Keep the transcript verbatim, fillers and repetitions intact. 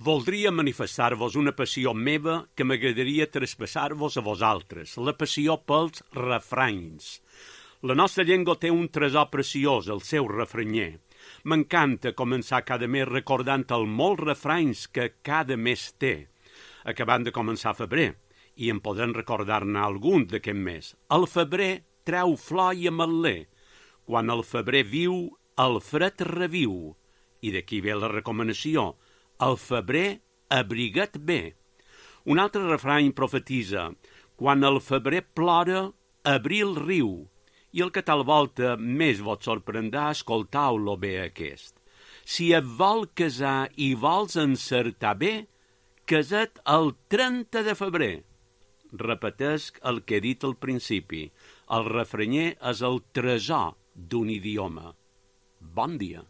Voldria manifestar-vos una passió meva que m'agradaria traspassar-vos a vosaltres, la passió pels refranys. La nostra llengua té un tresor preciós, el seu refranyer. M'encanta començar cada mes recordant els molts refranys que cada mes té, acabant de començar febrer, i en podem recordar-ne algun d'aquest mes. El febrer treu flor i ametler. Quan el febrer viu, el fred reviu. I d'aquí ve la recomanació. El febrer abriga't bé. Un altre refrany profetitza: quan el febrer plora, abril riu. I el que tal volta més vos sorprendrà, escoltau-lo bé aquest. Si et vol casar i vols encertar bé, casa't el trenta de febrer. Repetesc el que he dit al principi. El refranyer és el tresor d'un idioma. Bon dia.